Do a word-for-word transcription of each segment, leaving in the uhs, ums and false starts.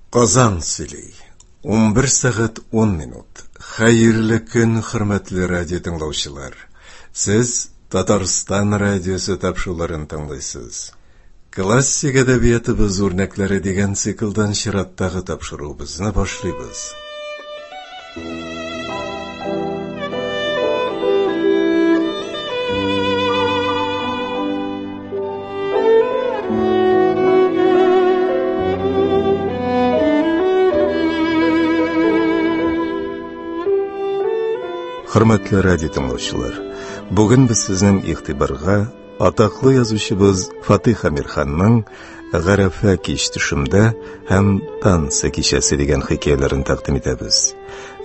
Казан сөйли. Унбер сәгать ун минут. Хәерле көн, хөрмәтле радио тыңлаучылар. Сез Татарстан радиосы тапшыруларын тыңлыйсыз. Классик әдәбиятыбыз үрнәкләре дигән циклдан чираттагы тапшыруыбызны башлыйбыз. Хөрмәтле радио тыңлаучылар, бүген без сезнең игътибарга атаклы язучыбыз Фатих Әмирханның Гарәфә кич төшемдә һәм Танцы кичәсе дигән хикәяләрен тәкъдим итәбез.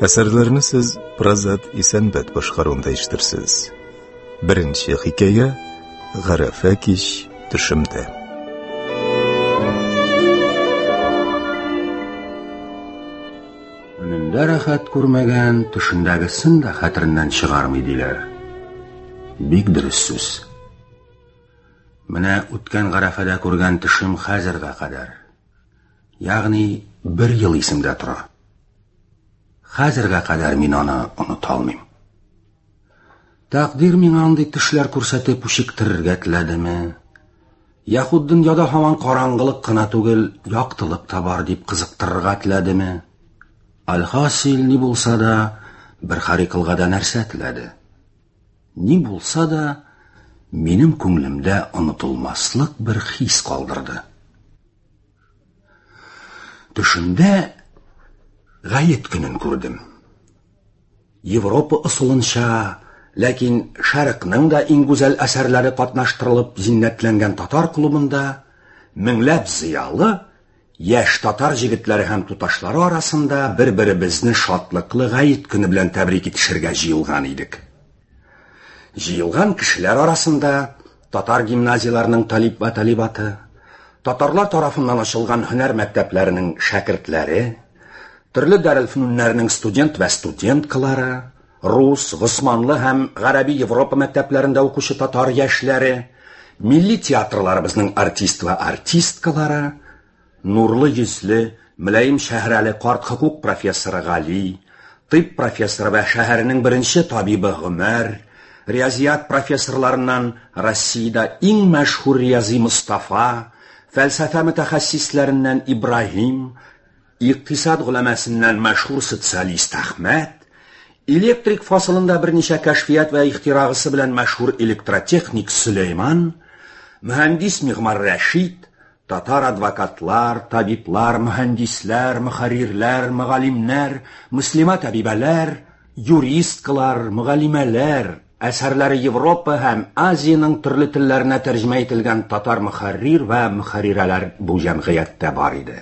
Әсәрләрне сез Празат Исәнбәт башкаруында ишетерсез. Беренче хикәя Гарәфә кич төшемдә. Өнендә рәхәт күрмәгән, төшендәгесен дә хәтереннән чыгармый диләр. Бик дөрес сүз. Менә үткән Гарәфәдә күргән төшем хәзергә кадәр, ягъни бер ел исемдә тора. Хәзергә кадәр мин аны оныта алмыйм. Тәкъдир миңа андый төшләр күрсәтеп үчектерергә теләдеме? Яхуд дөньяда һаман караңгылык кына түгел, яктылык та бар дип кызыктырырга теләдеме? Альхасил, ни булса да, бер харикылга да нәрсә теләде. Ни булса да, минем күңелемдә онытылмаслык бер хис калдырды. Төшемдә гает көнен күрдем. Европа ысулынча, ләкин Шәрыкның да иң гүзәл әсәрләре катнаштырылып зиннәтләнгән татар клубында меңләп зыялы яшь татар җегетләре һәм туташлары арасында бер-беребезне шатлыклы гает көне белән тәбрик итешергә җыелган идек. Җыелган кешеләр арасында татар гимназияләренең талиб вә талибаты, татарлар тарафыннан ачылган һөнәр мәктәпләренең шәкертләре, төрле дәрелфүннәрнең студент вә студенткалары, рус, госманлы һәм гарәби Европа мәктәпләрендә укучы татар яшьләре, милли театрларыбызның артист вә артисткалары, нурлы йөзле, мөлаем шәһрәле карт хокук профессоры Гали, тыйб профессоры вә шәһәренең беренче табибы Гомәр, риязият профессорларыннан Россиядә иң мәшһүр риязи Мустафа, фәлсәфә мөтәхәссисләреннән Ибраһим, икътисад голәмәсеннән мәшһүр социалист Әхмәт, электрик фасылында берничә кәшфият вә ихтирагысы белән мәшһүр электротехник Сөләйман, мөһәндис мигъмар Рәшид, татар адвокатлар, табиблар, мөһәндисләр, мөхәррирләр, мөгаллимнәр, мөслимә табибәләр, юристкалар, мөгаллимәләр, әсәрләре Европа һәм Азиянең төрле телләренә тәрҗемә ителгән татар мөхәррир вә мөхәррирәләр бу җәмгыятьтә бар иде.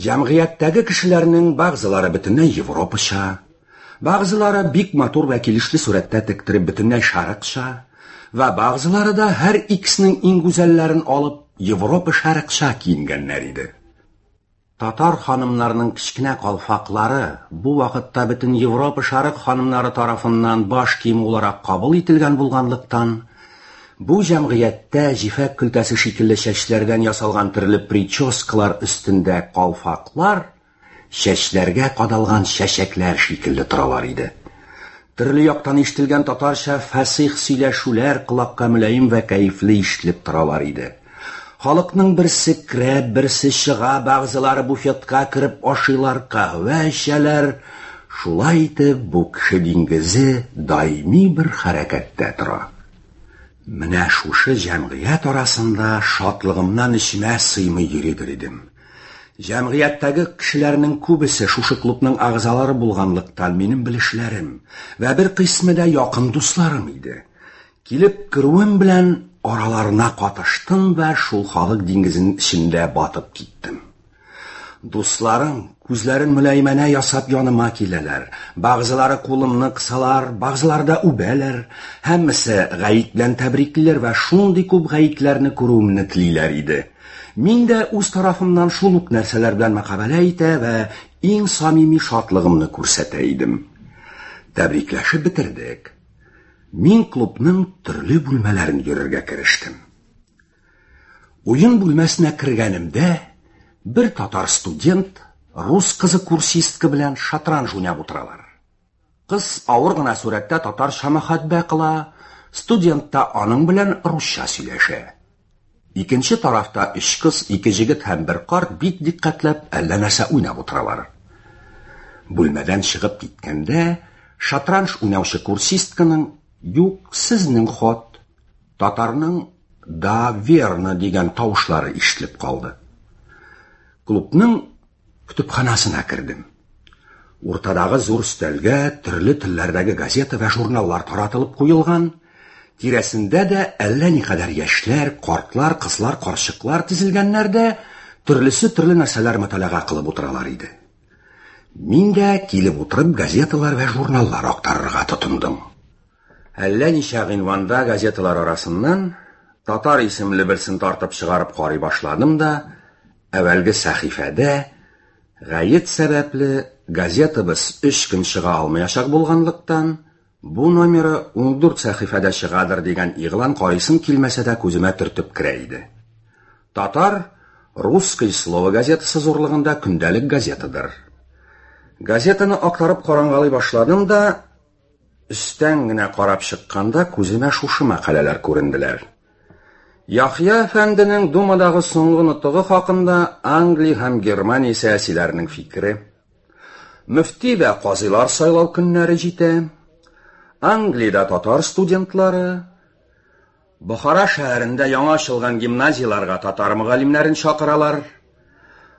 Җәмгыятьтәге кешеләрнең бәгъзеләре бөтенләй Европача, бәгъзеләре бик матур вә килешле сурәттә тектереп бөтенләй шәрыкча, вә бәгъзеләре дә һәр икесенең иң гүзәлләрен алып Европа шәрыкча киенгәннәр иде. Татар ханымнарының кечкенә калфаклары бу вакытта бөтен Европа шәрык ханымнары тарафыннан баш киеме буларак кабул ителгән булганлыктан, бу җәмгыятьтә җифәк көлтәсе шикелле чәчләрдән ясалган төрле прическалар өстендә калфаклар чәчләргә кадалган чәчәкләр шикелле торалар иде. Төрле яктан ишетелгән татарча фәсих сөйләшүләр колакка мөлаем вә кәефле ишетелеп торалар иде. Халыкның берсе керә, берсе чыга, бәгъзеләре буфетка кереп ашыйлар, каһвә эчәләр. Шулай итеп, бу кеше диңгезе даими бер хәрәкәттә тора. Менә шушы җәмгыять арасында шатлыгымнан эчемә сыймый йөридер идем. Җәмгыятьтәге кешеләрнең күбесе шушы клубның әгъзалары булганлыктан минем белешләрем вә бер кыйсмы да якын дусларым иде. Килеп керүем белән араларына катыштым вә шул халык диңгезенең эчендә батып киттем. Дусларым күзләрен мөлаемәнә ясап яныма киләләр. Бәгъзеләре кулымны кысалар, бәгъзеләре дә үбәләр. Һәммәсе гает белән тәбриклиләр вә шундый күп гаетләрне күрүемне телиләр иде. Мин дә үз тарафымнан шул ук нәрсәләр белән мөкабәлә итә вә иң самими шатлыгымны күрсәтә идем. Тәбрикләшеп бетердек. Мин клубның төрле бүлмәләрен йөрергә керештем. Уен бүлмәсенә кергәнемдә Бер татар студент рус кызы курсистка белән шатранж уйнап утыралар. Кыз авыр гына сурәттә татарча мөхәббә кыла, студент та аның белән русча сөйләшә. Икенче тарафта өч кыз, ике җегет һәм бер карт бик дикъкатьләп әллә нәрсә уйнап утыралар. Бүлмәдән чыгып киткәндә, шатранж уйнаучы курсистканың «Юк, сезнең ход», татарның «Да, верно» дигән тавышлары ишетелеп калды. Клубның көтепханәсенә кердем. Уртадагы зур өстәлгә төрле телләрдәге газета ва журналлар таратылып куелган. Тирәсендә дә әллә никадәр яшьләр, картлар, кызлар, карчыклар тезелгәннәр дә төрлесе төрле нәрсәләр мөталәга кылып утыралар иде. Мин дә килеп утырып газеталар ва журналлар актарырга тотындым. Әллә ничә гыйнванда газеталар арасыннан татар исемле берсен тартып чыгарып карый башладым да, әүвәлге сәхифәдә гает сәбәпле газетабыз өч көн чыга алмаячак булганлыктан, бу номеры ундүрт сәхифәдә чыгадыр дигән игълан карыйсым килмәсә дә күземә төртеп керә иде. Татар «Русское слово» газетасы зурлыгында көндәлек газетадыр. Газетаны актарып карангалый башладым да, өстән генә карап чыкканда күземә шушы мәкаләләр күренделәр. Яхъя әфәнденең Думадагы соңгы нотыгы хакында Англия һәм Германия сәясиләренең фикере. Мөфти вә казыйлар сайлау көннәре җитә. Англиядә татар студентлары, Бохара шәһәрендә яңа ачылган гимназияләргә татар мөгаллимнәрен чакыралар.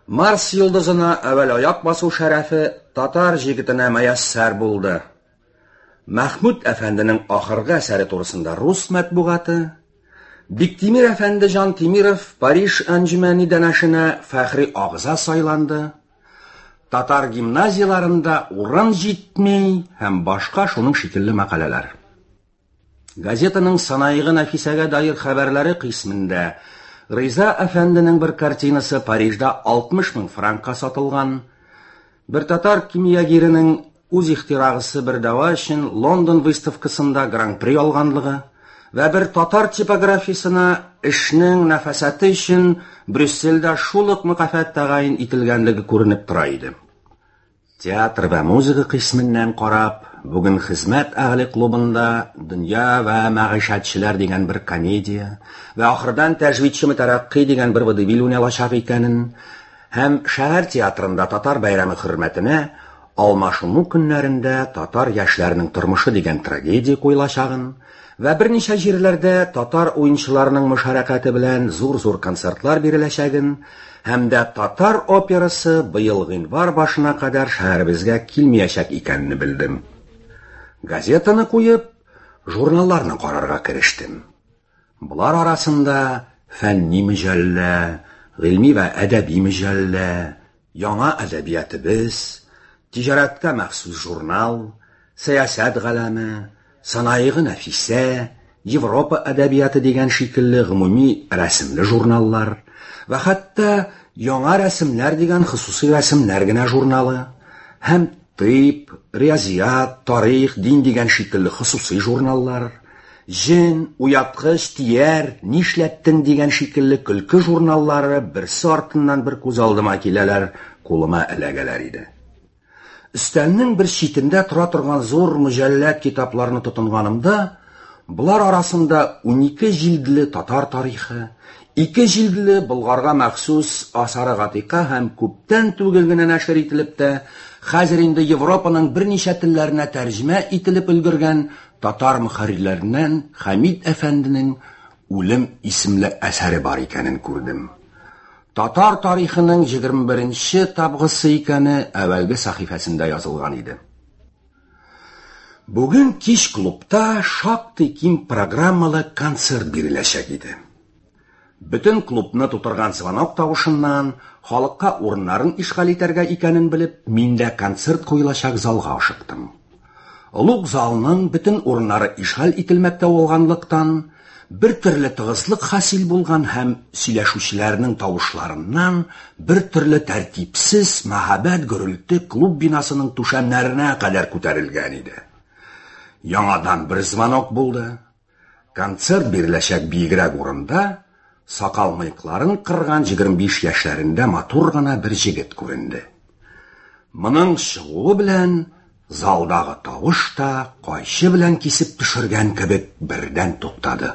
Марс йолдызына әүвәл аяк басу шәрәфе татар җегетенә мөяссәр булды. Мәхмүд әфәнденең ахыргы әсәре турысында рус матбугаты, Биктимир әфәнде Җан Тимиров Париж әнҗүмәни дәнәшенә фәхри агъза сайланды. Татар гимназияларында урын җитми һәм башка шуның шикелле мәкаләләр. Газетаның санаигы Нәфисәгә даир хәбәрләре кыйсмендә Риза әфәнденең бер картинасы Парижда алтмыш мең франкка сатылган, бер татар кимиягиренең үз ихтирагысы бер дәва өчен Лондон выставкасында гран-при алганлыгы вә бер татар типографиясенә эшнең нәфасәте өчен Брюссельдә шул ук мөкафат тәгаен ителгәнлеге күренеп тора иде. Театр вә музыка кыйсменнән карап, бүген хезмәт әһле клубында Дөнья вә мәгыйшәтчеләр дигән бер комедия вә ахырдан Тәҗвидче мөтәрәккый дигән бер водевиль уйналачак икәнен һәм шәһәр театрында татар бәйрәме хөрмәтенә алмашыну көннәрендә татар яшьләренең тормышы дигән трагедия куелачагын вә берничә җирләрдә татар уенчыларының мөшәрәкәте белән зур-зур концертлар биреләчәген һәм дә татар операсы быел гыйнвар башына кадәр шәһәребезгә килмәячәк икәнен белдем. Газетаны куеп, журналларны карарга керештем. Болар арасында фәнни мөҗәллә, гыйльми вә әдәби мөҗәллә, яңа әдәбиятыбыз, тиҗарәткә махсус журнал, сәясәт галәме, санаигы Нәфисә, Европа әдәбияты дигән шикелле гомуми рәсемле журналлар вә хәтта яңа рәсемнәр дигән хосусый рәсемнәр генә журналы һәм тыйб, риязият, тарих, дин дигән шикелле хосусый журналлар, җен, уяткыч, тияр, нишләттең дигән шикелле көлке журналлары берсе артыннан бер күз алдыма киләләр, кулыма эләгәләр иде. Өстәлнең бер читендә тора торган зур мөҗәлләт китапларны тотынганымда, болар арасында унике җилдле татар тарихы, ике җилдле Болгарга махсус Асары Гатика һәм күптән түгел генә нәшер ителеп тә, хәзер инде Европаның берничә телләренә тәрҗемә ителеп өлгергән татар мөхәррирләреннән Хәмид әфәнденең Үлем исемле әсәре бар икәнен күрдем. Татар тарихының егерме беренче табгысы икәне әүвәлге сәхифәсендә язылган иде. Бүген кич клубта шактый киң программалы концерт биреләчәк иде. Бөтен клубны тутырган звонок тавышыннан халыкка урыннарын ишгаль итәргә икәнен белеп, мин дә концерт куелачак залга ашыктым. Олуг залның бөтен урыннары ишгаль ителмәктә булганлыктан, бер төрле тыгызлык хасил булган һәм сөйләшүчеләрнең тавышларыннан бер төрле тәртипсез мәһабәт гөрелте клуб бинасының түшәмнәренә кадәр күтәрелгән иде. Яңадан бер звонок булды. Концерт биреләчәк биегрәк урында сакал-мыекларын кырган егерме биш яшьләрендә матур гына бер җегет күренде. Моның чыгуы белән залдагы тавыш та кайчы белән кисеп төшергән кебек бердән туктады.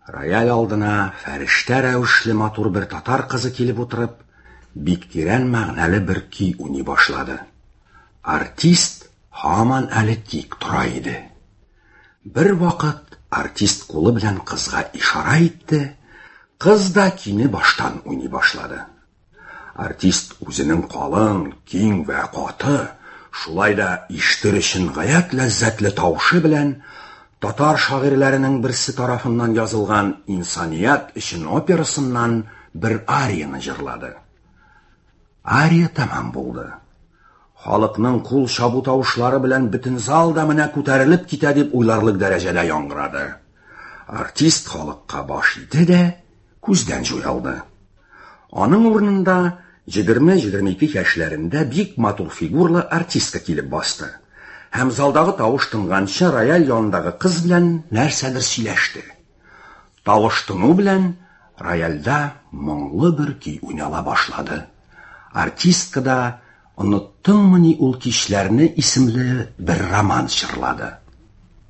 Рояль алдына фәрештә рәвешле матур бер татар кызы килеп утырып, бик тирән мәгънәле бер көй уйный башлады. Артист һаман әле тик тора иде. Бер вакыт артист кулы белән кызга ишарә итте, кыз да көйне баштан уйный башлады. Артист үзенең калын, киң вә каты, шулай да ишетер өчен гаять ләззәтле тавышы белән татар шагыйрьләренең берсе тарафыннан язылган «Инсаният өчен» операсыннан бер арияны җырлады. Ария тәмам булды. Халыкның кул чабу тавышлары белән бөтен зал да менә күтәрелеп китә дип уйларлык дәрәҗәдә яңгырады. Артист халыкка баш иде дә күздән җуялды. Аның урынында егерме-егерме ике яшьләрендә бик матур фигурлы артистка килеп басты. Һәм залдагы тавыш тынганчы рояль янындагы кыз белән нәрсәдер сөйләште. Тавыш тыну белән рояльдә моңлы бер көй уйнала башлады. Артистка да «Оныттыңмыни ул кичләрне» исемле бер роман җырлады.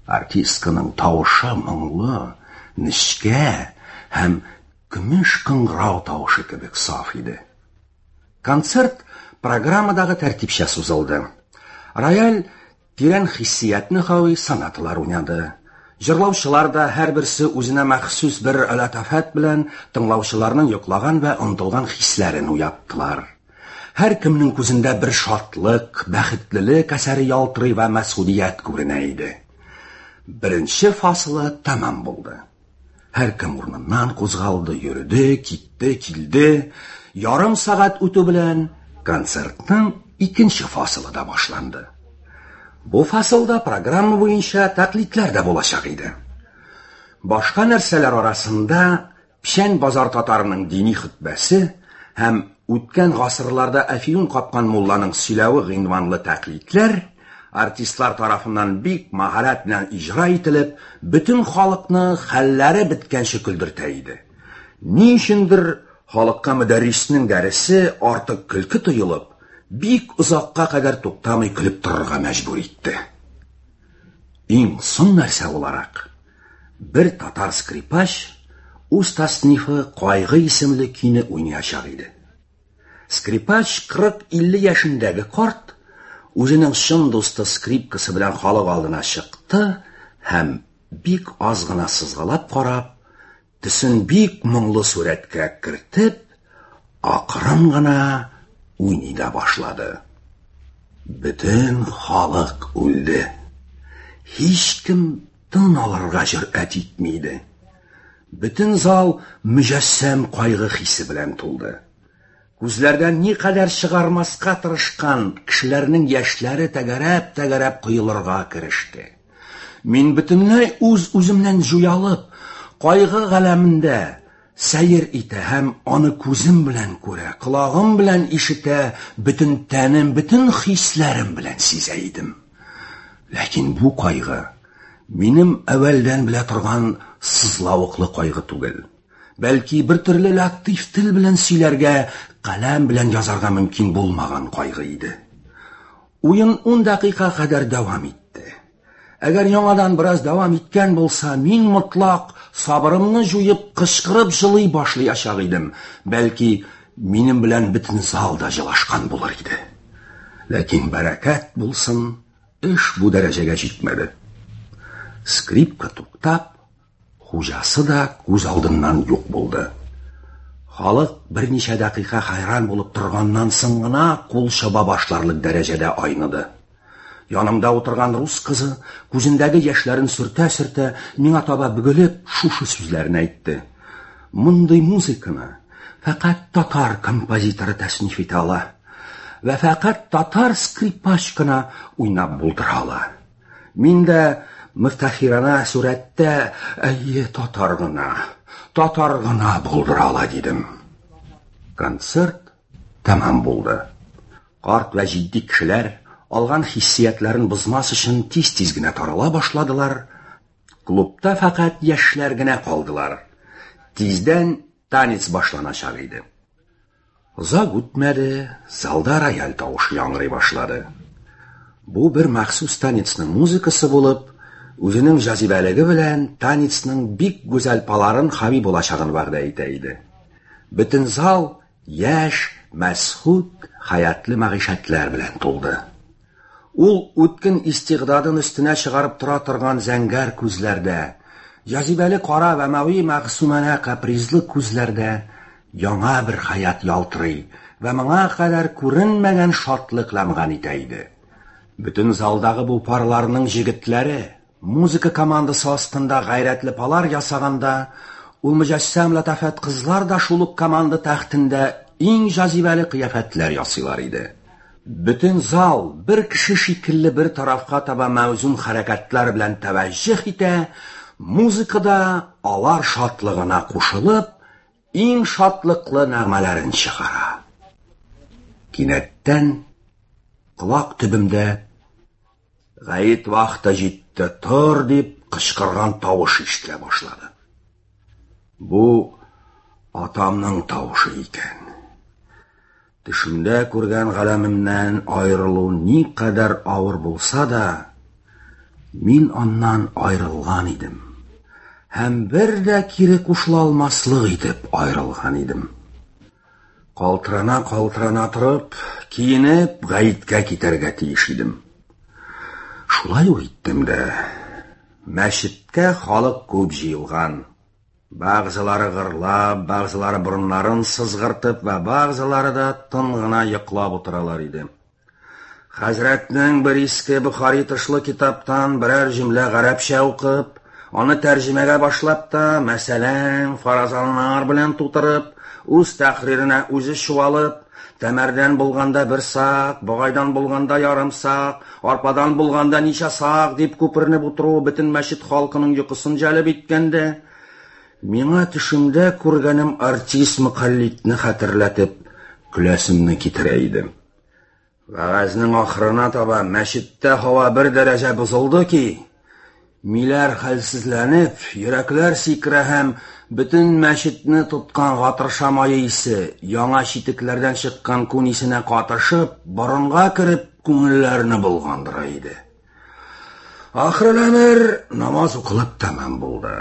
Артистканың тавышы моңлы, нечкә һәм көмеш кыңгырау тавышы кебек саф иде. Концерт программадагы тәртипчә сузылды. Рояль тирән хиссиятне хави сонаталар уйнады. Җырлаучылар да һәрберсе үзенә махсус бер латафәт белән тыңлаучыларның йоклаган вә онытылган хисләрен уяттылар. Һәр кемнең күзендә бер шатлык, бәхетлелек әсәре ялтырый вә мәсгудият күренә иде. Беренче фасылы тәмам булды. Һәр кем урыныннан кузгалды, йөрде, китте, килде. Ярым сәгать үтү белән концертның икенче фасылы да башланды. Бу фасылда программа буенча тәкълидләр дә булачак иде. Башка нәрсәләр арасында Печән базар татарының дини хөтбәсе һәм үткән гасырларда әфиюн капкан мулланың сөйләве гыйнванлы тәкълидләр артистлар тарафыннан бик маһарәт белән иҗра ителеп, бөтен халыкны хәлләре беткәнче көлдертә иде. Ни өчендер халыкка мөдәрриснең дәресе артык көлке тоелып, бик озакка кадәр туктамый көлеп торырга мәҗбүр итте. Иң соң нәрсә буларак, бер татар скрипач үз таснифы «Кайгы» исемле көйне уйнаячак иде. Скрипач кырык-илле яшендәге карт үзенең чын дусты скрипкасы белән халык алдына чыкты һәм бик аз гына сызгалап карап, төсен бик моңлы сурәткә кертеп, акрын гына уйный да башлады. Бөтен халык үлде. Һичкем тын алырга җөрьәт итми иде. Бөтен зал мөҗәссәм кайгы хисе белән тулды. Күзләрдән никадәр чыгармаска тырышкан кешеләрнең яшьләре тәгәрәп-тәгәрәп коелырга кереште. Мин бөтенләй үз-үземнән җуялып, кайгы галәмендә сәер итә һәм аны күзем белән күрә, колагым белән ишетә, бөтен тәнем, бөтен хисләрем белән сизә идем. Ләкин бу кайгы минем әүвәлдән белә торган сызлавыклы кайгы түгел. Бәлки бер төрле латиф тел белән сөйләргә, каләм белән язарга мөмкин булмаган кайгы иде. Уен ун дәкыйка кадәр дәвам итте. Әгәр яңадан бераз дәвам иткән булса, мин мотлак сабырымны җуеп, кычкырып җылый башлаячак идем. Бәлки минем белән бөтен зал да җылашкан булыр иде. Ләкин бәрәкәт булсын, эш бу дәрәҗәгә җитмәде. Скрипка туктап, хуҗасы да күз алдыннан юк булды. Халык берничә дәкыйка хайран булып торганнан соң гына кул чаба башларлык дәрәҗәдә айныды. Янымда утырган рус кызы, күзендәге яшьләрен сөртә-сөртә, миңа таба бөгелеп, шушы сүзләрен әйтте. Мондый музыканы фәкать татар композиторы тәсниф итә ала вә фәкать татар скрипач кына уйнап булдыра ала. Мин дә мөфтәхирана сурәттә, әйе, татар гына, татар гына булдыра ала дидем. Концерт тәмам булды. Карт вә җитди кешеләр алган хиссиятләрен бозмас өчен тиз-тиз генә тарала башладылар. Клубта фәкать яшьләр генә калдылар. Тиздән танец башланачак иде. Озак үтмәде, залда рояль тавышы яңгырый башлады. Бу бер махсус танецның музыкасы булып, үзенең җазибәлеге белән танецның бик гүзәл паларын хави булачагын вәгъдә итә иде. Бөтен зал яшь, мәсхүт, хаятлы мәгыйшәтләр белән тулды. Ул үткен истигъдадын өстенә чыгарып тора торган зәңгәр күзләрдә, җазибәле кара вә мави мәгъсуманә капризлы күзләрдә яңа бер хаят ялтырый вә моңа кадәр күренмәгән шатлык ләмган итә иде. Бөтен залдагы бу парларның җегетләре музыка командасы астында гайрәтле палар ясаганда, ул мөҗәссәм ләтафәт кызлар да шул ук команда тәхтендә иң җазибәле кыяфәтләр ясыйлар иде. Бөтен зал бер кеше шикелле бер тарафка таба мәүзун хәрәкәтләр белән тәвәҗҗүһ итә, музыкада алар шатлыгына кушылып, иң шатлыклы нәгъмәләрен чыгара. Кинәттән колак төбемдә "Гает вакыты җитте, тор!" дип кычкырган тавыш ишетелә башлады. Бу атамның тавышы икән. Төшемдә күргән галәмемнән аерылу никадәр авыр булса да, мин аннан аерылган идем. Һәм бер дә кире кушыла алмаслык итеп аерылган идем. Калтырана-калтырана торып, киенеп, гаеткә китәргә тиеш идем. Шулай ук иттем дә. Мәчеткә халык күп җыелган. Бәгъзеләре гырлап, бәгъзеләре борыннарын сызгыртып вә бәгъзеләре дә тын гына йоклап утыралар иде. Хәзрәтнең бер иске Бохари тышлы китаптан берәр җөмлә гарәпчә укып, аны тәрҗемәгә башлап та, мәсәлән, фаразаннар белән тутырып, үз тәхриренә үзе чуалып, тәмәрдән булганда бер сак, богайдан булганда ярым сак, арпадан булганда ничә сак дип күпернеп утыру бөтен мәчет халкының йокысын җәлеп иткәндә, миңа төшемдә күргәнем артист мөкаллидне хәтерләтеп, көләсемне китерә иде. Вәгазьнең ахырына таба мәчеттә һава бер дәрәҗә бозылды ки, миләр хәлсезләнеп, йөрәкләр сикерә һәм бөтен мәчетне тоткан гатырша мае исе, яңа читекләрдән чыккан күн исенә катышып, борынга кереп, күңелләрне болгандыра иде. Ахырыл әмер намаз укылып тәмам булды.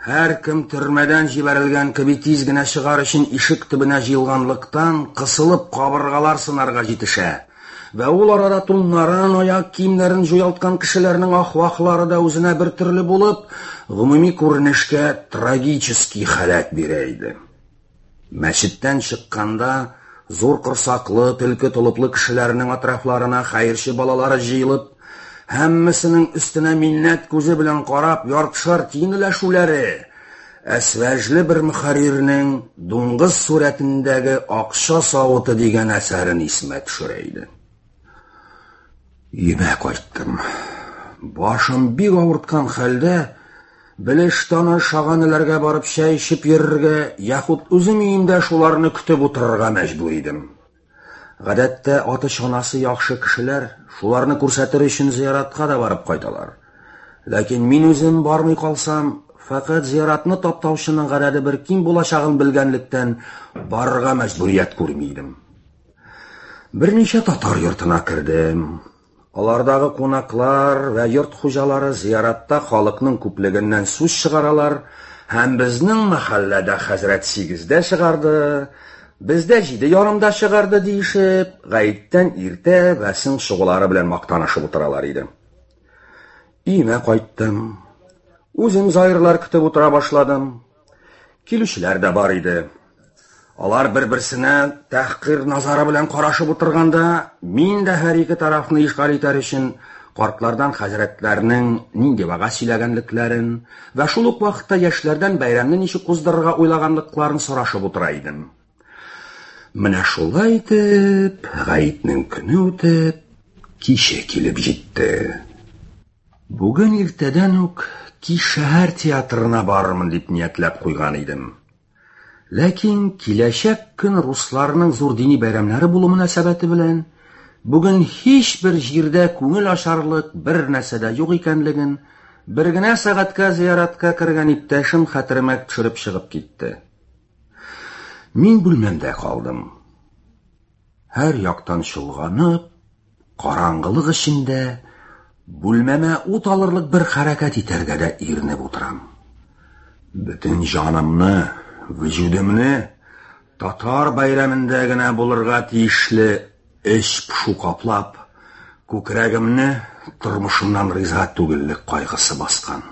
Һәр кем төрмәдән җибәрелгән кеби тиз генә чыгар өчен ишек төбенә җыелганлыктан кысылып кабыргалар сынарга җитешә. Вә ул арада туннарын, аяк киемнәрен җуялткан кешеләрнең ахвахлары да үзенә бер төрле булып, гомуми күренешкә трагический халәт бирә иде. Мәчеттән чыкканда зур корсаклы, төлке толыплы кешеләрнең атрафларына хәерче балалары җыелып, һәммәсенең өстенә миннәт күзе белән карап, яртышар тиен өләшүләре, әсвәжле бер мөхәррирнең дуңгыз сурәтендәге акча савыты дигән әсәрен исемә төшерә иде. Өемә кайттым. Башым бик авырткан хәлдә, белеш таныш аганеләргә барып чәй эчеп йөрергә, яхуд үзем өемдә шуларны көтеп утырырга мәҗбүр идем. Гадәттә аты чанасы яхшы кешеләр шуларны күрсәтер өчен зыяратка да барып кайталар. Ләкин мин үзем бармый калсам, фәкать зыяратны таптаучының гадәте бер киң булачагын белгәнлектән барырга мәҗбүрият күрми идем. Берничә татар йортына кердем. Алардагы кунаклар вә йорт хуҗалары зыяратта халыкның күплегеннән сүз чыгаралар һәм безнең мәхәлләдә хәзрәт сигездә чыгарды, бездә җиде ярымда чыгарды диешеп, гаеттән иртә вә соң чыгулары белән мактанышып утыралар иде. Өемә кайттым. Үзем заирлар көтеп утыра башладым. Килүчеләр дә бар иде. Алар бер-берсенә тәхкир назары белән карашып утырганда, мин дә һәр ике тарафны ишгаль итәр өчен картлардан хәзрәтләрнең нинди вәгазь сөйләгәнлекләрен вә шул ук вакытта яшьләрдән бәйрәмне ничек уздырырга уйлаганлыкларын сорашып утыра идем. Менә шулай итеп, гаетнең көне үтеп, киче килеп җитте. Бүген иртәдән үк кич шәһәр театрына барырмын дип ниятләп куйган идем. Ләкин киләчәк көн русларның зур дини бәйрәмнәре булу мөнәсәбәте белән бүген һичбер җирдә күңел ачарлык бер нәрсә дә юк икәнлеген Бер генә сәгатькә зияратка кергән иптәшем хәтеремә төшереп чыгып китте. Мин бүлмәмдә калдым. Һәр яктан чолганып, караңгылык эчендә бүлмәмә ут алырлык бер хәрәкәт итәргә дә иренеп утырам. Бөтен җанымны, вөҗүдемне татар бәйрәмендә генә булырга тиешле эч пошу каплап, күкрәгемне тормышымнан риза түгеллек кайгысы баскан.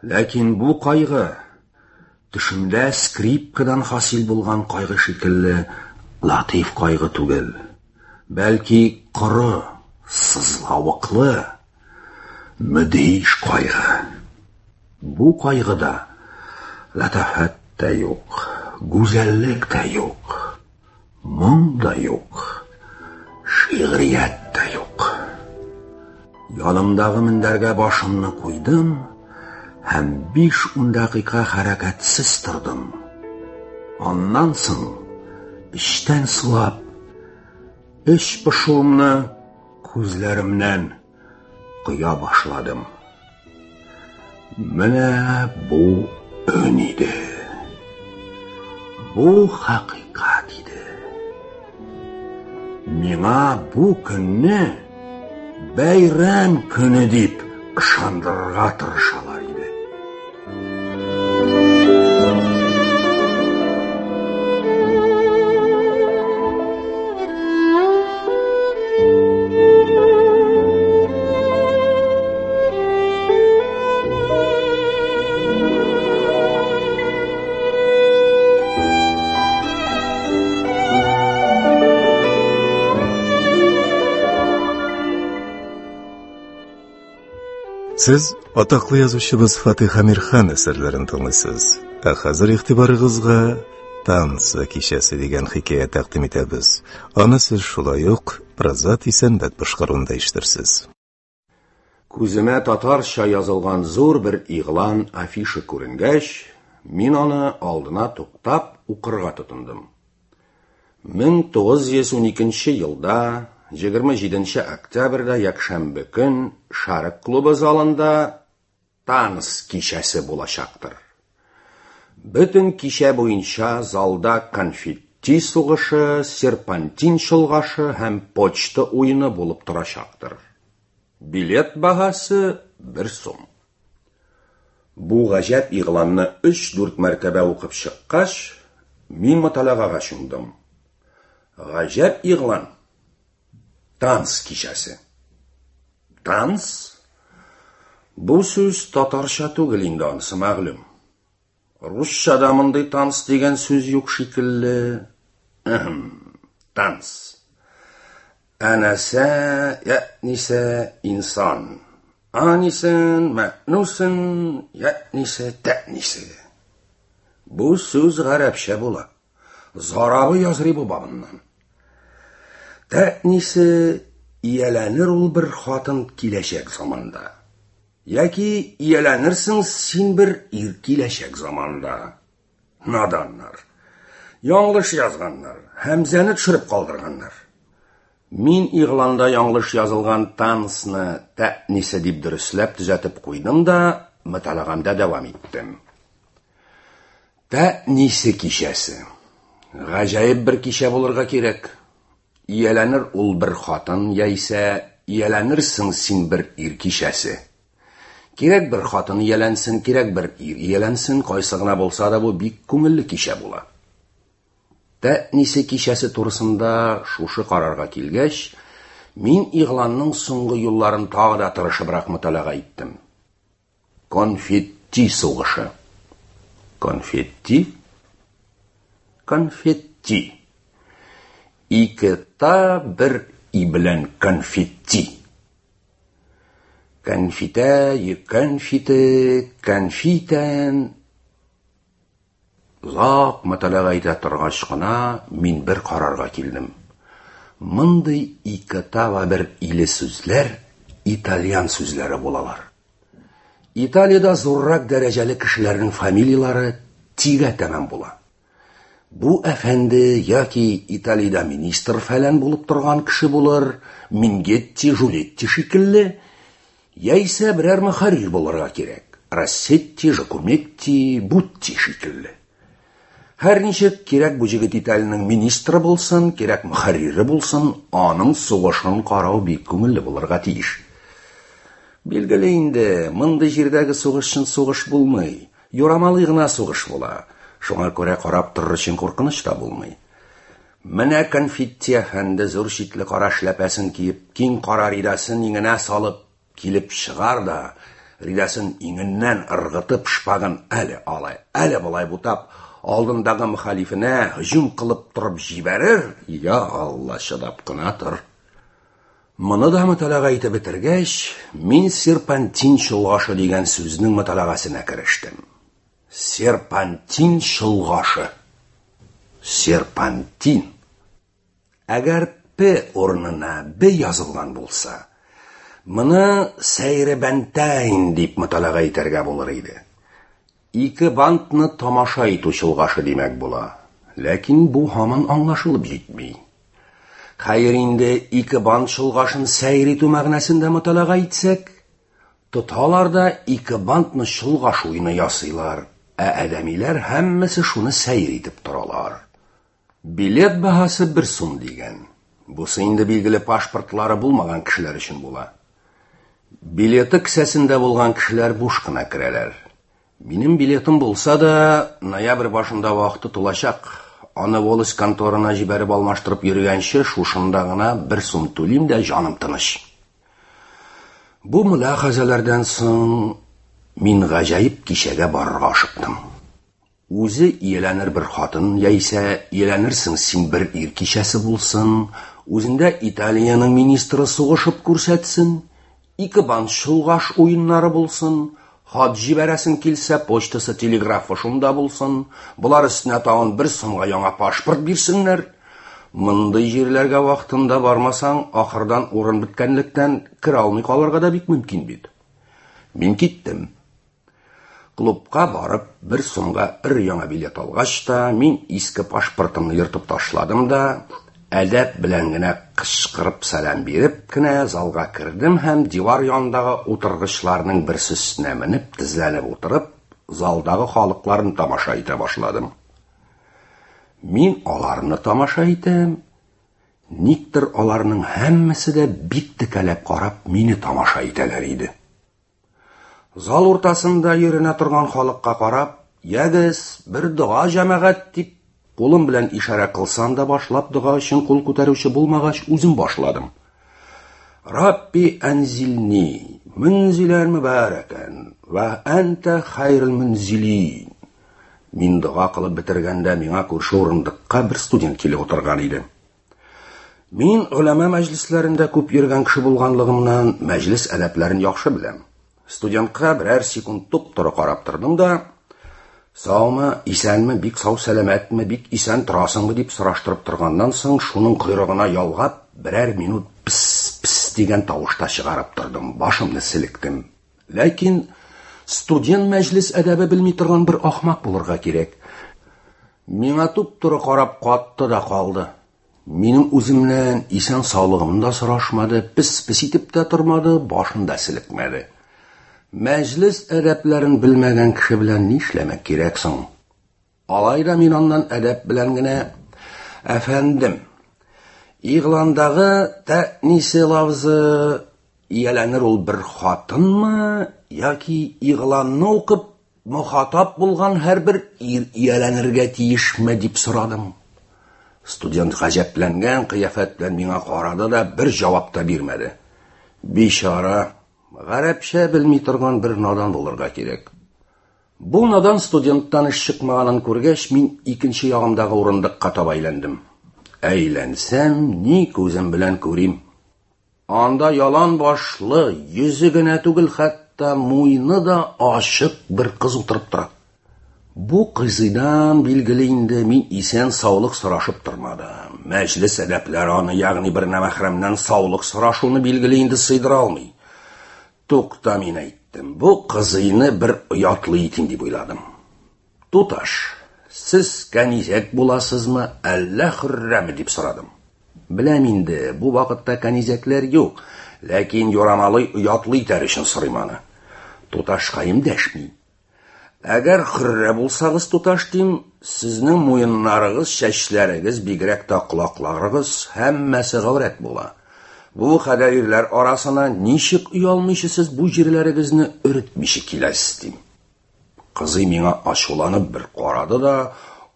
Ләкин бу кайгы төшемдә скрипкадан хасил булган кайгы шикелле латиф кайгы түгел, бәлки коры, сызлавыклы, мөдһиш кайгы. Бу кайгыда латафәт тә юк, гүзәллек тә юк, моң да юк, шигърият тә юк. Янымдагы мендәргә башымны куйдым һәм биш-ун дәкыйка хәрәкәтсез тордым. Аннан соң эчтән сулап, эч пошуымны күзләремнән коя башладым. Менә бу өн иде. Бу хакыйкать иде. Миңа бу көнне бәйрәм көне дип ышандырырга тырышалар иде. Сез атаклы язучыбыз Фатих Әмирхан әсәрләрен тыңлыйсыз. Ә хәзер игътибарыгызга «Танцы кичәсе» дигән хикәя тәкъдим итәбез. Аны сез шулай ук Празат Исәнбәт башкаруында ишетерсез. Күземә татарча язылган зур бер игълан афиша күренгәч, мин аны алдына туктап укырга тотындым. мең тугыз йөз уникенче елда егерме җиденче октябрьдә якшәмбе көн Шарык клубы залында танц кичәсе булачактыр. Бөтен кичә буенча залда конфетти сугышы, серпантин чолгашы һәм почта уены булып торачактыр. Билет баһасы бер сум. Бу гаҗәп игъланны өч-дүрт мәртәбә укып чыккач, мин моталәгага чумдым. Гаҗәп игълан. Танц кичәсе. Танц? Бу сүз татарча түгел инде, анысы мәгълүм. Русчада мондый танц дигән сүз юк шикелле. Танц. Әнәсә, ятнисә, инсан. Анисен, мәнусен, ятнисә, тәнисә. Бу сүз гарәпчә була. Зарабы язрибы бабыннан. Тәнисе ияләнер ул бер хатын киләчәк заманда. Яки ияләнерсең син бер ир киләчәк заманда. Наданнар. Яңлыш язганнар, һәмзәне төшереп калдырганнар. Мин игъланда яңлыш язылган танцны тәнисе дип дөресләп төзәтеп куйдым да, мөталәгамдә дәвам иттем. Тәнисе кичәсе. Гаҗәеп бер кичә булырга кирәк. Ияләнер ул бер хатын, яисә ияләнерсең син бер ир кичәсе. Кирәк бер хатын ияләнсен, кирәк бер ир ияләнсен, кайсы гына булса да бу бик күңелле кичә була. Тәнисе кичәсе турысында шушы карарга килгәч, мин игъланның соңгы юлларын тагы да тырышыбрак мөталәга иттем. Конфетти сугышы. Конфетти? Конфетти. Ике та бер и белән конфетти. Конфитә, конфите, конфитән. Озак мөталәга итә торгач кына мин бер карарга килдем. Мондый ике та вә бер иле сүзләр итальян сүзләре булалар. Италиядә зуррак дәрәҗәле кешеләрнең фамилияләре тигә тәмам була. Бу әфәнде яки Италиядә министр фәлән булып торган кеше булыр, Мингетти, Жулетти шикелле, Яисә берәр мөхәррир булырга кирәк. Россетти, Жакуметти, Бутти шикелле. Һәр ничек кирәк бу җегет Италиянең министры булсын, кирәк мөхәррире булсын, аның сугышын карау бик күңелле булырга тиеш. Билгеле инде, мондый җирдәге сугыш чын сугыш булмый. Юрамалый гына сугыш була. Шуңа күрә карап торыр өчен куркыныч та булмый. Менә Конфетти әфәнде зур читле кара эшләпәсен киеп, киң кара ридасын иңенә салып килеп чыгар да, ридасын иңеннән ыргытып, шпагын әле алай, әле болай бутап, алдындагы мөхалифенә һөҗүм кылып торып җибәрер. Я Алла, чыдап кына тор. Моны да мөталага итеп бетергәч, мин серпантин чолгашы дигән сүзнең мөталагасына керештем. Серпантин чолгашы. Серпантин. Әгәр П урынына Б язылган булса, моны сәйребәнтәйн дип мөталага итәргә булыр иде. Ике бантны тамаша итү чолгашы димәк була. Ләкин бу һаман аңлашылып җитми. Хәер инде ике бант чолгашын сәйр итү мәгънәсендә мөталага итсәк, тоталар да ике бантны чолгаш уены ясыйлар, ә адәмиләр һәммәсе шуны сәйр итеп торалар. Билет баһасы бер сум дигән. Бусы инде билгеле паспортлары булмаган кешеләр өчен була. Билеты кесәсендә булган кешеләр буш кына керәләр. Минем билетым булса да, ноябрь башында вакыты тулачак. Аны волость конторына җибәреп алмаштырып йөргәнче, шушында гына бер сум түлим дә җаным тыныч. Бу мөляхәзәләрдән соң мин гаҗәеп кичәгә барырга ашыктым. Үзе ияләнер бер хатын, яисә ияләнерсең син бер ир кичәсе булсын, үзендә Италиянең министры сугышып күрсәтсен, ике бант чолгаш уеннары булсын, хат җибәрәсең килсә, почтасы, телеграфы шунда булсын, болар өстенә тагын бер сумга яңа паспорт бирсеннәр. Мондый җирләргә вакытында бармасаң, ахырдан урын беткәнлектән керә алмый калырга да бик мөмкин бит. Мин киттем. Клубка барып, бер сумга бер яңа билет алгач та, мин иске паспортымны ертып ташладым да, әдәп белән генә кычкырып сәлам биреп кенә залга кердем һәм дивар янындагы утыргычларның берсе өстенә менеп, тезләнеп утырып, залдагы халыкларны тамаша итә башладым. Мин аларны тамаша итәм, никтер аларның һәммәсе дә бик текәләп карап мине тамаша итәләр иде. Зал уртасында йөренә торган халыкка карап, "Ягез, бер дога җәмәгать" дип кулым белән ишарә кылсам да, башлап дога өчен кул күтәрүче булмагач, үзем башладым. Рабби анзилни мөнзилән мөбарәкән ва анта хайрул мөнзилин. Мин дога кылып бетергәндә миңа күрше урындыкка бер студент килеп утырган иде. Мин голәмә мәҗлесләрендә күп йөргән кеше булганлыгымнан мәҗлес әдәпләрен яхшы беләм. Студентка берәр секунд туп-туры карап тордым да, "Саумы, исәнме, бик сау сәламәтме, бик исән торасыңмы?" дип сораштырып торганнан соң, шуның койрыгына ялгап, берәр минут пс-пс дигән тавыш та чыгарып тордым, башымны селектем. Ләкин студент мәҗлес әдәбе белми торган бер ахмак булырга кирәк. Миңа туп-туры карап катты да калды. Минем үземнән исән саулыгымны да сорашмады, пес-пес итеп тә тормады, башын да селекмәде. Мәҗлес әдәпләрен белмәгән кеше белән нишләмәк кирәк соң? Алай да мин аннан әдәп белән генә: "Әфәндем, игъландагы тәнисе лавзы ияләнер ул бер хатынмы яки игъланны укып мөхатап булган һәрбер ир ияләнергә тиешме?" дип сорадым. Студент гаҗәпләнгән кыяфәт белән миңа карады да бер җавап та бирмәде. Бичара, гарәпчә белми торган бер надан булырга кирәк. Бу надан студенттан эш чыкмаганын күргәч, мин икенче ягымдагы урындыкка таба әйләндем. Әйләнсәм, ни күзем белән күрим. Анда ялан башлы, йөзе генә түгел, хәтта муены да ачык бер кыз утырып тора. Бу кызыйдан билгеле инде мин исән саулык сорашып тормадым. Мәҗлес әдәпләре аны, ягъни бер нәмәхрәмнән саулык сорашуны билгеле инде сыйдыра алмый. Тукта, мин әйттем, бу кызыйны бер оятлы итим дип уйладым. "Туташ, сез кәнизәк буласызмы, әллә хөррәме?" дип сорадым. Беләм инде, бу вакытта кәнизәкләр юк, Ләкин юрамалый оятлы итәр өчен сорыйм аны. Туташкаем дәшми. Әгәр хөррә булсагыз, туташ, дим, сезнең муеннарыгыз, чәчләрегез, бигрәк тә колакларыгыз һәммәсе гаурәт була. Бу кадәр ирләр арасына ничек оялмыйча сез бу җирләрегезне өретмичә киләсез, дим. Кызый миңа ачуланып бер карады да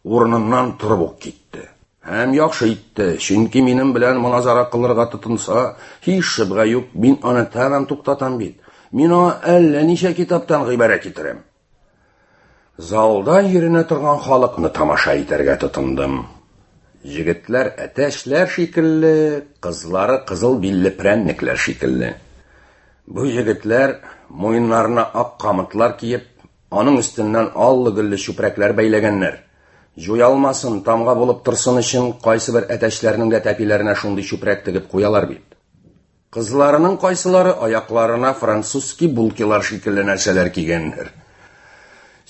урыныннан торып ук китте. Һәм яхшы итте, чөнки минем белән моназара кылырга тотынса, һич шөбһә юк, мин аны тәмам туктатам бит. Мин аңа әллә ничә китаптан гыйбарә китерәм. Залда йөренә торган халыкны тамаша итәргә тотындым. Егетләр әтәчләр шикелле, кызлары кызыл билле прәннекләр шикелле. Бу егетләр муеннарына ак камытлар киеп, аның өстеннән аллы-гөлле чүпрәкләр бәйләгәннәр. Җуялмасын, тамга булып торсын өчен кайсы бер әтәчләрнең дә тәпиләренә шундый чүпрәк тегеп куялар бит. Кызларының кайсылары аякларына французский булкилар шикелле нәрсәләр кигәннәр.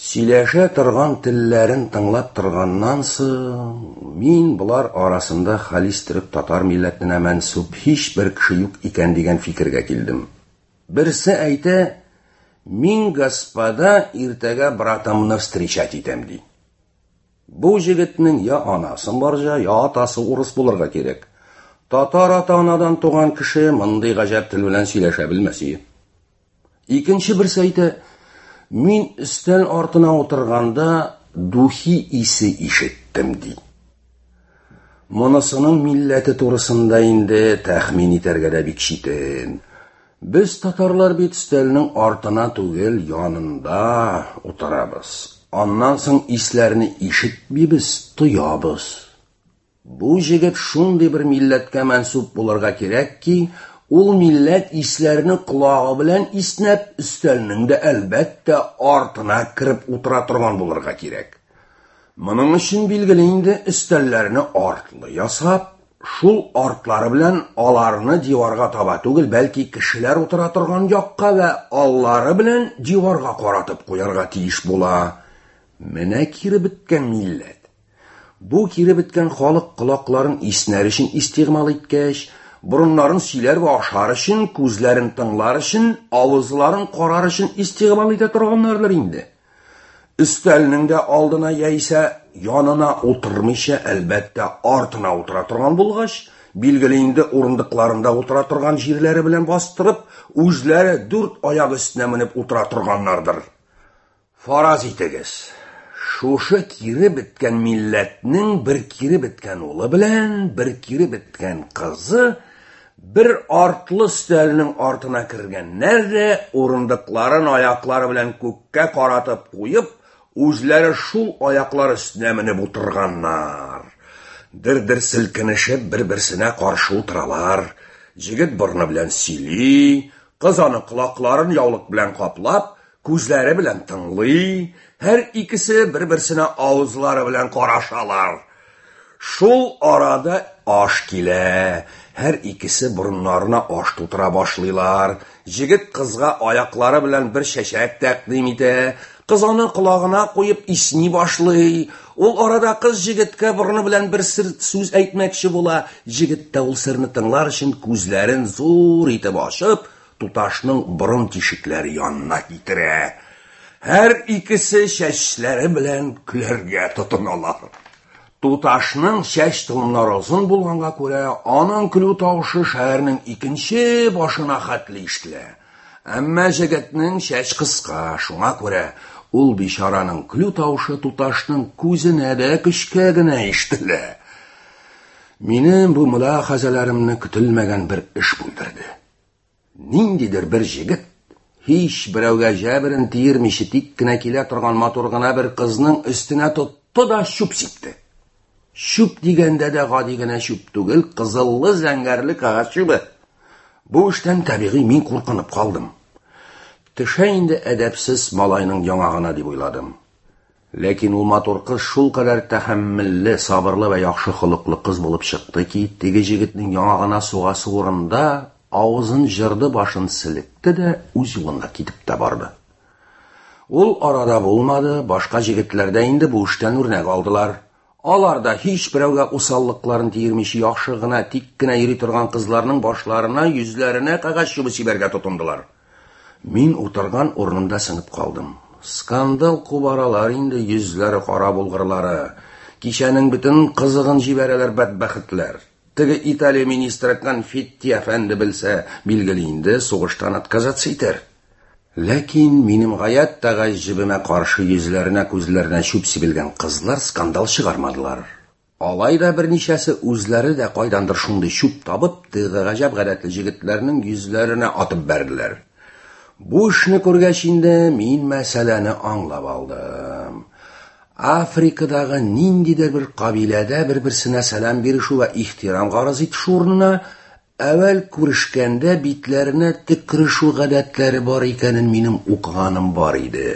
Сөйләшә торган телләрен тыңлап торганнан соң, мин болар арасында халис төрек татар милләтенә мәнсүп һичбер кеше юк икән дигән фикергә килдем. Берсе әйтә, мин, господа, иртәгә братымны встречать итәм, ди. Бу егетнең я анасы барҗа, я атасы урыс булырга кирәк. Татар ата-анадан туган кеше мондый гаҗәп тел белән сөйләшә белмәс иде. Икенче берсе әйтә, мин өстәл артына утырганда духи исе ишеттем, ди. Монысының милләте турысында инде тәхмин итәргә дә бик читен. Без татарлар бит өстәлнең артына түгел, янында утырабыз. Аннан соң исләрне ишетмибез, тоябыз. Бу егет шундый бер милләткә мәнсүп булырга кирәк ки, ул милләт исләрне колагы белән иснәп, өстәлнең дә әлбәттә артына кереп утыра торган булырга кирәк. Моның өчен билгеле инде өстәлләрне артлы ясап, шул артлары белән аларны диварга таба түгел, бәлки кешеләр утыра торган якка вә аллары белән диварга каратып куярга тиеш була. Менә кире беткән милләт. Бу кире беткән халык колакларын иснәр өчен истигъмал иткәч, борыннарын сөйләр вә ашар өчен, күзләрен тыңлар өчен, авызларын карар өчен истигъмал итә торганнардыр инде. Өстәлнең дә алдына яисә янына утырмыйча, әлбәттә, артына утыра торган булгач, билгеле инде урындыкларында утыра торган җирләре белән бастырып, үзләре дүрт аяк өстенә менеп утыра торганнардыр. Фараз итегез, шушы кире беткән милләтнең бер кире беткән улы белән бер кире беткән кызы бер артлы өстәлнең артына кергәннәр дә урындыкларын аяклары белән күккә каратып куеп, үзләре шул аяклар өстенә менеп утырганнар. Дер-дер селкенешеп бер-берсенә каршы утыралар. Егет борны белән сөйли, кыз аны колакларын яулык белән каплап, күзләре белән тыңлый, һәр икесе бер-берсенә авызлары белән карашалар. Шул арада аш килә. Һәр икесе борыннарына аш тутыра башлыйлар. Егет кызга аяклары белән бер чәчәк тәкъдим итә. Кыз аны колагына куеп исни башлый. Ул арада кыз егеткә борыны белән бер сер сүз әйтмәкче була. Егет тә ул серне тыңлар өчен күзләрен зур итеп ачып, туташның борын тишекләре янына китерә. Һәр икесе чәчләре белән көләргә тотыналар. Туташның чәч толымнары озын булганга күрә, аның көлү тавышы шәһәрнең икенче башына хәтле ишетелә. Әмма егетнең чәч кыска, шуңа күрә ул бичараның көлү тавышы туташның күзенә дә көчкә генә ишетелә. Минем бу мөлахәзәләремне көтелмәгән бер эш бүлдерде. Ниндидер бер егет һич берәүгә җәберен тиермичә тик кенә килә торган матур гына бер кызның өстенә тотты да чүп сипте. Чүп дигәндә дә гади генә чүп түгел, кызыллы зәңгәрле кәгазь чүбе. Бу эштән табигый мин куркынып калдым. Төшә инде әдәпсез малайның яңагына дип уйладым. Ләкин ул матур кыз шул кадәр тәхәммелле, сабырлы вә яхшы холыклы кыз булып чыкты ки, теге егетнең яңагына сугасы урында авызын җырды, башын селекте дә үз юлына китеп тә барды. Ул арада булмады, башка егетләр дә инде бу эштән үрнәк алдылар. Алар да һич берәүгә усаллыкларын тиермичә яхшы гына, тик кенә йөри торган кызларның башларына, йөзләренә кәгазь чүбе сибәргә тотындылар. Мин утырган урынымда сынып калдым. Скандал кубаралар инде йөзләре кара булгырлары. Кичәнең бөтен кызыгын җибәрәләр бәдбәхетләр. Теге Италия министры Конфетти әфәнде белсә, билгеле инде сугыштан отказаться итәр. Ләкин минем гаять тә гаҗәбемә каршы йөзләренә, күзләренә чүп сибелгән кызлар скандал чыгармадылар. Алай да берничәсе үзләре дә кайдандыр шундый чүп табып, теге гаҗәп гадәтле җегетләрнең йөзләренә атып бәрделәр. Бу эшне күргәч инде мин мәсьәләне аңлап алдым. Африкадагы ниндидер бер кабиләдә бер-берсенә сәлам бирешү вә ихтирам гарыз итешү урынына әүвәл күрешкәндә битләренә төкерешү гадәтләре бар икәнен минем укыганым бар иде.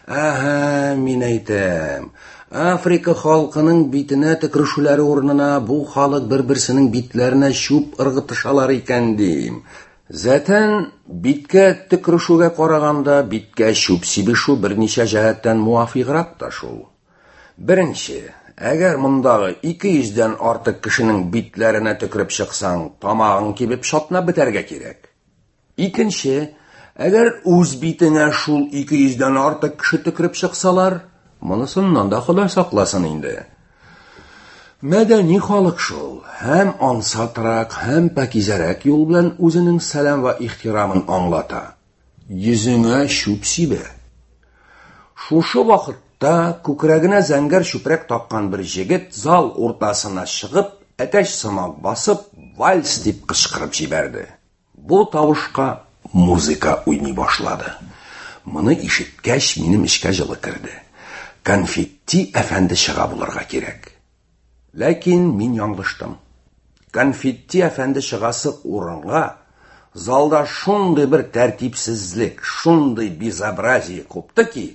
Әһә, мин әйтәм, Африка халкының битенә төкерешүләре урынына бу халык бер-берсенең битләренә чүп ыргытышалар икән дим. Зәтән биткә төкерешүгә караганда биткә чүп сибешү берничә җәһәттән муафиграк та шул. Беренче, әгәр мондагы ике йөздән артык кешенең битләренә төкереп чыксаң, тамагың кибеп чатнап бетәргә кирәк. Икенче, әгәр үз битеңә шул ике йөздән артык кеше төкереп чыксалар, монысыннан да Ходай сакласын инде. Мәдәни халык шул, һәм ансатрак, һәм пакизәрәк юл белән үзенең сәлам вә ихтирамын аңлата. Йөзеңә чүп сибә. Шушы вакытта күкрәгенә зәңгәр чүпрәк таккан бер җегет зал уртасына чыгып, әтәч сымак басып, вальс дип кычкырып җибәрде. Бу тавышка музыка уйный башлады. Моны ишеткәч, минем эчкә җылы керде. Конфетти әфәнде чыга булырга кирәк. Ләкин мин яңлыштым. Конфетти әфәнде чыгасы урынга залда шундый бер тәртипсезлек, шундый безобразие купты ки,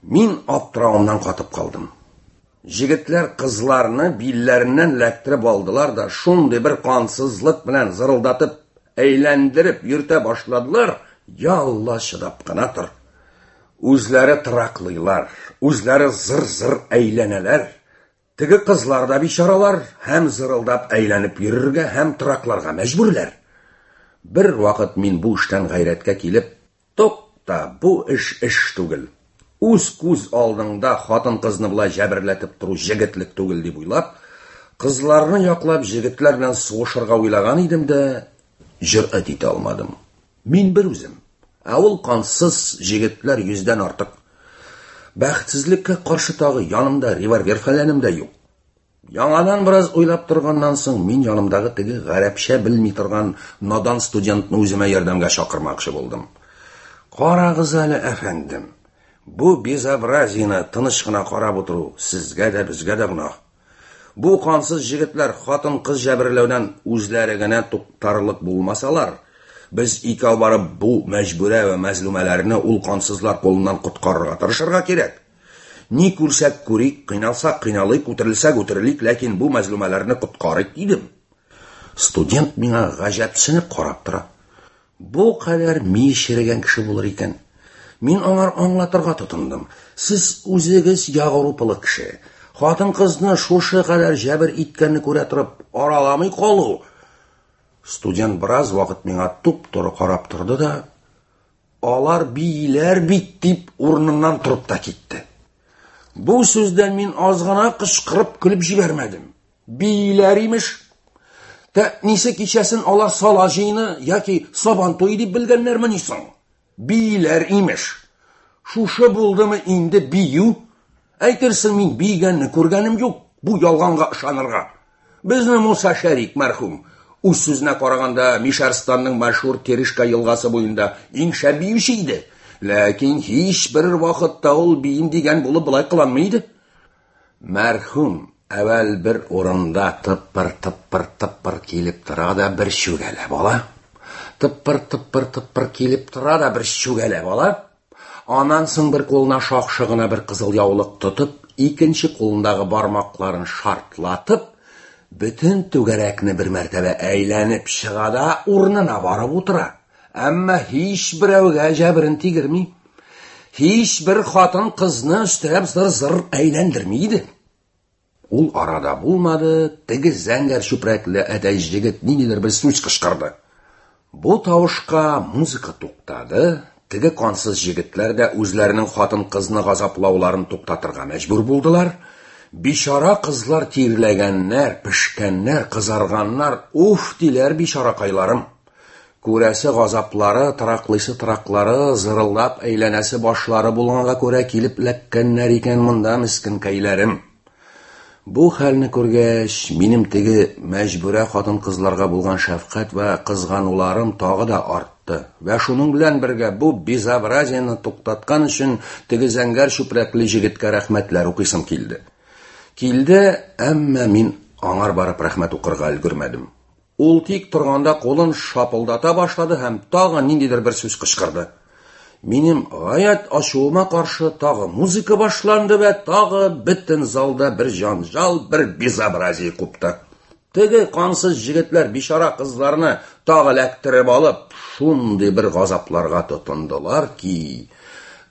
мин аптырауымнан катып калдым. Җегетләр кызларны билләреннән эләктереп алдылар да шундый бер кансызлык белән зырылдатып, әйләндереп йөртә башладылар. Я Алла, чыдап кына тор. Үзләре тыраклыйлар, үзләре зыр-зыр әйләнәләр. Теге кызлар да бичаралар һәм зырылдап әйләнеп йөрергә һәм тыракларга мәҗбүрләр. Бер вакыт мин бу эштән гайрәткә килеп, тукта, бу эш эш түгел. Үз күз алдыңда хатын-кызны болай җәберләтеп тору җегетлек түгел дип уйлап, кызларны яклап җегетләр белән сугышырга уйлаган идем дә, җөрьәт итә алмадым. Мин бер үзем, ә ул кансыз җегетләр йөздән артык. Бәхетсезлеккә каршы тагы янымда револьвер фәләнем дә юк. Яңадан бераз уйлап торганнан соң мин янымдагы теге гарәпчә белми торган надан студентны үземә ярдәмгә чакырмакчы булдым. Карагыз әле, әфәндем, бу безобразиены тыныч кына карап утыру сезгә дә, безгә дә гөнаһ. Бу кансыз җегетләр хатын-кыз җәберләүдән үзләре генә туктарлык булмасалар, без икәү барып бу мәҗбүрә вә мәзлүмәләрне ул кансызлар кулыннан коткарырга тырышырга кирәк. Ни күрсәк күрик, кыйналсак кыйналыйк, үтерелсәк үтерелик, ләкин бу мәзлүмәләрне коткарыйк дидем. Студент миңа гаҗәпсенеп карап тора. Бу кадәр ми черегән кеше булыр икән. Мин аңар аңлатырга тотындым. Сез үзегез Европалы кеше. Хатын-кызны шушы кадәр җәбер иткәнне күрә торып, араламый калу. Студент бераз вакыт миңа туп-туры карап торды да, алар бииләр бит дип урыныннан торып та китте. Бу сүздән мин аз гына кычкырып көлеп җибәрмәдем. Бииләр имеш. Тәнисе кичәсен алар сала җыены яки сабан туе дип белгәннәрмени соң? Бииләр имеш. Шушы булдымы инде бию? Әйтерсең мин биегәнне күргәнем юк, бу ялганга ышанырга. Безне Муса Шәрик мәрхүм үз сүзенә караганда Мишәрстанның мәшһүр Терешка елгасы буенда иң шәп биюче иде. Ләкин һич бер вакытта ул биим дигән булып болай кыланмый иде. Мәрхүм әүвәл бер урында тыпыр-тыпыр-тыпыр килеп тора да бер чүгәләп ала. Тыпыр-тыпыр-тыпыр килеп тора да бер чүгәләп ала. Аннан соң бер кулына шакшы гына бер кызыл яулык тотып, икенче кулындагы бармакларын шартлатып, бөтен түгәрәкне бер мәртәбә әйләнеп чыга да урынына барып утыра. Әмма һич берәүгә җәберен тигерми. Һич бер хатын кызны өстерәп зыр-зыр әйләндерми иде. Ул арада булмады, теге зәңгәр чүпрәкле әтәч җегет ниндидер бер сүз кычкырды. Бу тавышка музыка туктады, теге кансыз җегетләр дә үзләренең хатын-кызны газаплауларын туктатырга мәҗбүр булдылар. Бичара кызлар тирләгәннәр, пешкәннәр, кызарганнар, уф диләр бичаракайларым. Күрәсе газаплары, тыраклыйсы тыраклары, зырылдап әйләнәсе башлары булганга күрә килеп эләккәннәр икән монда мескенкәйләрем. Бу хәлне күргәч, минем теге мәҗбүрә хатын-кызларга булган шәфкать вә кызгануларым тагы да артты. Вә шуның белән бергә бу безобразиене туктаткан өчен теге зәңгәр чүпрәкле җегеткә рәхмәтләр укыйсым килде. Килде, әмма мин аңар барып рәхмәт укырга өлгермәдем. Ул тик торганда кулын шапылдата башлады һәм тагы ниндидер бер сүз кычкырды. Минем гаять ачуыма каршы тагы музыка башланды вә тагы бөтен залда бер җанҗал, бер безобразие купты. Теге кансыз җегетләр бичара кызларны тагы эләктереп алып, шундый бер газапларга тотындылар ки,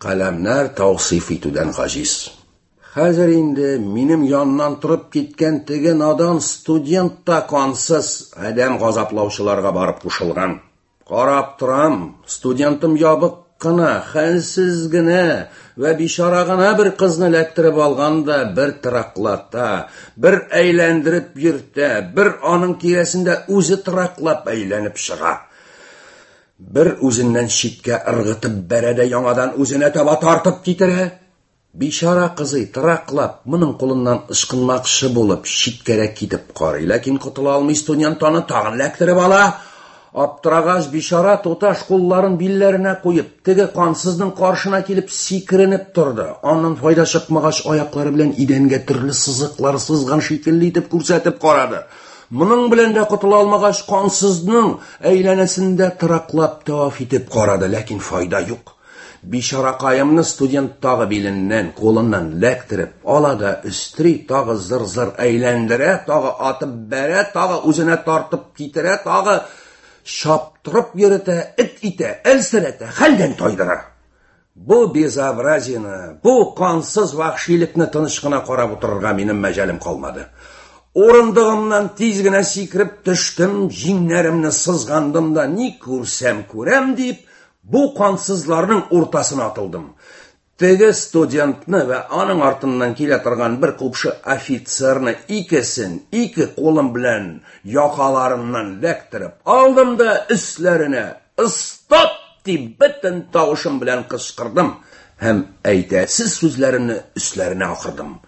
каләмнәр тавсыйф итүдән гаҗиз. Хәзер инде минем яннан торып киткән теге надан студент та кансыз адәм газаплаучыларга барып кушылган. Карап торам, студентым ябык кына, хәлсез генә вә бичара гына бер кызны эләктереп алган да бер тыраклата, бер әйләндереп йөртә, бер аның тирәсендә үзе тыраклап әйләнеп чыга. Бер үзеннән читкә ыргытып бәрә дә яңадан үзенә таба тартып китерә. Бичара кызый тыраклап, моның кулыннан ычкынмакчы булып, читкәрәк китеп карый, ләкин котыла алмый студент аны тагын эләктереп ала. Аптырагач бичара туташ кулларын билләренә куеп, теге кансызның каршына килеп сикеренеп торды. Аннан файда чыкмагач, аяклары белән идәнгә төрле сызыклар сызган шикелле итеп күрсәтеп карады. Моның белән дә котыла алмагач, кансызның әйләнәсендә тыраклап таваф итеп карады, ләкин файда юк. Бичаракаемны студент тагы биленнән, кулыннан эләктереп ала да өстери, тагы зыр-зыр әйләндерә, тагы атып бәрә, тагы үзенә тартып китерә, тагы чаптырып йөртә, эт итә, әлсерәтә, хәлдән тайдыра. Бу безобразиене, бу кансыз вәхшилекне тыныч кына карап утырырга минем мәҗалем калмады. Урындыгымнан тиз генә сикереп төштем, җиңнәремне сызгандым да ни күрсәм күрәм дип, бу кансызларның уртасына атылдым. Теге студентны вә аның артыннан килә торган бер купшы офицерны икесен ике кулым белән якаларыннан эләктереп алдым да өсләренә «Стоп!» дип бөтен тавышым белән кычкырдым һәм әйтәсез сүзләремне өсләренә акырдым.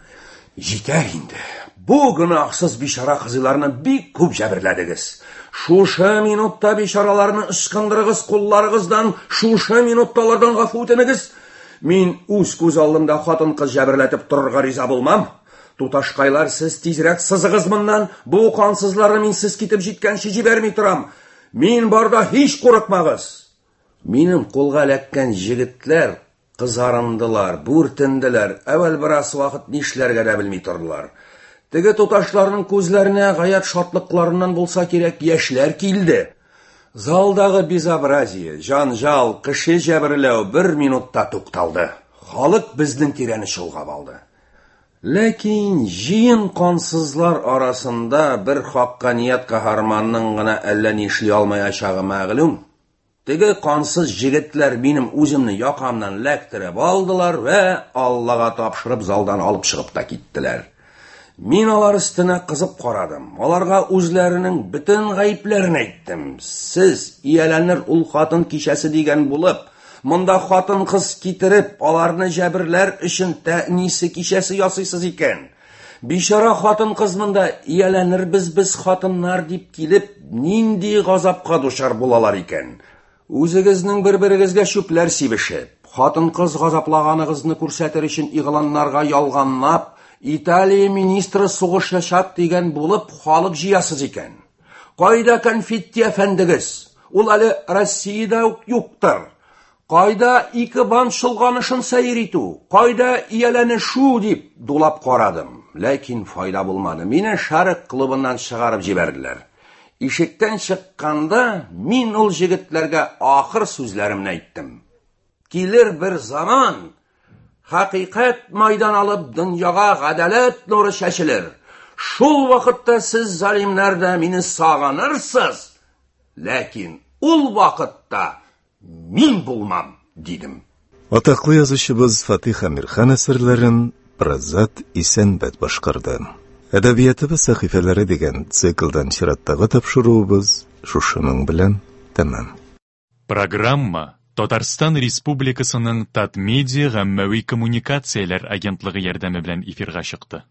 Җитәр инде. Бу гөнаһсыз бичара кызларны бик күп җәберләдегез. Шушы минутта бичараларны ычкындырыгыз кулларыгыздан, шушы минутта алардан гафу үтенегез. Мин үз күз алдымда хатын-кыз җәберләтеп торырга риза булмам. Туташкайлар, сез тизрәк сызыгыз моннан. Бу кансызларны мин сез китеп җиткәнче җибәрми торам. Мин барда һич курыкмагыз. Минем кулга эләккән җегетләр кызарындылар, бүртенделәр. Әүвәл бераз вакыт нишләргә дә белми тордылар. Теге туташларның күзләренә гаять шатлыкларыннан булса кирәк яшьләр килде. Залдагы безобразие, җанҗал, кеше җәберләү бер минутта тукталды. Халык безнең тирәне чолгап алды. Ләкин җыен кансызлар арасында бер хакканият каһарманның гына әллә ни эшли алмаячагы мәгълүм. Теге кансыз җегетләр минем үземне якамнан эләктереп алдылар вә Аллага тапшырып залдан алып чыгып та киттеләр. Мин алар өстенә кызып карадым. Аларга үзләренең бөтен гаепләрен әйттем. Сез ияләнер ул хатын кичәсе дигән булып, монда хатын-кыз китереп, аларны җәберләр өчен тәнисе кичәсе ясыйсыз икән. Бичара хатын-кыз монда ияләнербез без хатыннар дип килеп, нинди газапка дучар булалар икән. Үзегезнең бер-берегезгә чүпләр сибешеп, хатын-кыз газаплаганыгызны күрсәтер өчен игъланнарга ялганлап, Италия министры сугышачак дигән булып халык җыясыз икән. Кайда конфетти әфәндегез? Ул әле Россиядә үк юктыр. Кайда ике банд чолганышын сәйр итү? Кайда ияләнешү дип дулап карадым. Ләкин файда булмады. Мине Шәрык клубыннан чыгарып җибәрделәр. Ишектән чыкканда мин ул җегетләргә ахыр сүзләремне әйттем. Килер бер заман, хакыйкать майдан алып дөньяга гадаләт нуры чәчелер. Шул вакытта сез залимнәр дә мине сагынырсыз, ләкин ул вакытта мин булмам, дидем. Атаклы язучыбыз Фатих Әмирхан әсәрләрен Празат Исәнбәт башкарды. Әдәбиятыбыз сәхифәләре дигән циклдан чираттагы тапшыруыбыз шушының белән тәмам. Программа Татарстан Республикасының Татмедиа гаммәви коммуникацияләр агентлыгы ярдәме белән эфирга чыкты.